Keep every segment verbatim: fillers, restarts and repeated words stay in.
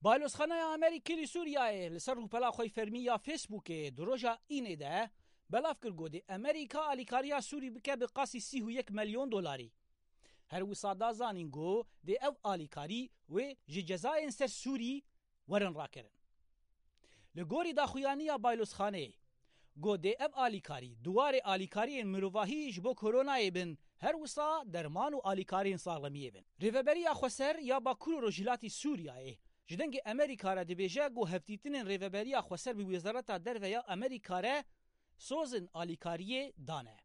Balozxaneya Amerîkî li Sûriyeyê li ser rûpela xwe fermî ya Facebookê di roja Înê de belav kir ku dê Amerîka alîkariya Sûrî bike bi qasî sî û yek milyon dolarî. Her wisa da zanîn ku dê ev alîkarî wê ji cezayên ser Sûrî werin rakirin. Li gorî daxuyaniya Balozxaneyê, ku dê ev alîkarî di warê alîkariyên mirovahî ji bo koronayê bin, her wisa derman û alîkariyên saxlemiyê bin. Rêveberiya Xweser ya Bakur û Rojhilatî Sûriyeyê ji dengê Amerîka re dibêje ku hevdîtinên Rêveberiya Xweser bi Wezareta Derve ya Amerîka re sozên alîkariyê dane.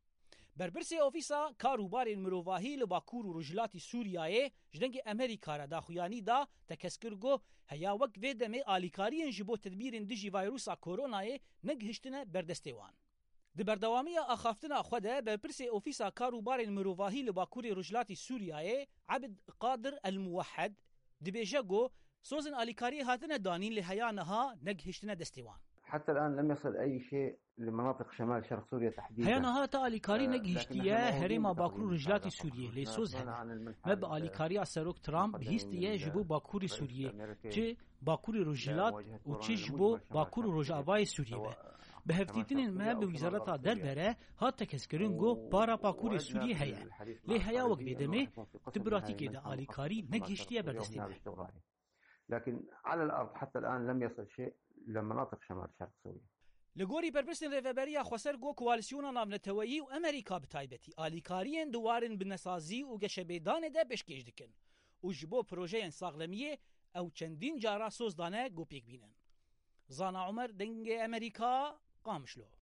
Berpirsê Ofîsa Kar û Barên Mirovahî li Bakur û Rojhilatî Sûriyeyê ji dengê Amerîka re daxuyanî da, tekez kir ku heya wek vê demê alîkariyên ji bo tedbîrên dijî vayrusa koronayê negihiştine ber destê wan. Di berdewamiya axaftina xwe de berpirsê Ofîsa Kar û Barên Mirovahî li Bakurê Rojhilatî Sûriyeyê Ebd Qadir El Muwehhed dibêje ku sozên alîkariyê hatine danîn lê heya niha negihiştine destê wan. حتى الآن لم يصل أي شيء لمناطق شمال شرق سوريا تحديدا. Heya niha te alîkarî negihiştiye herêma Bakur û Rojhilatî Sûriyê, lê soz hene. Me bi alîkariya Serok Trump bihîstiye ji bo Bakurê Sûriyê, çi Bakurê Rojhilat û çi ji bo Bakur û Rojavayê Sûriyê be. Bi hevdîtinên me bi Wezareta Derve re hat tekez kirin ku para Bakurê Sûriyê heye. Lê heya wek vê demê di pratîkê de alîkarî negihiştiye ber destê me. لكن على الأرض حتى الآن لم يصل شيء لمناطق شمال شرق سوريا. Li gorî berpirsên Rêveberiya Xweser got, Koalîsyona Navneteweyî û Amerîka bi taybetî alîkariyên di warên binesazî û geşebêdanê de pêşkêş dikin û ji bo projeyên saxlemiyê ew çendîn cara soz dane ku pêk bînin. Zana Omer, Dengê Amerîka, Qamişlo.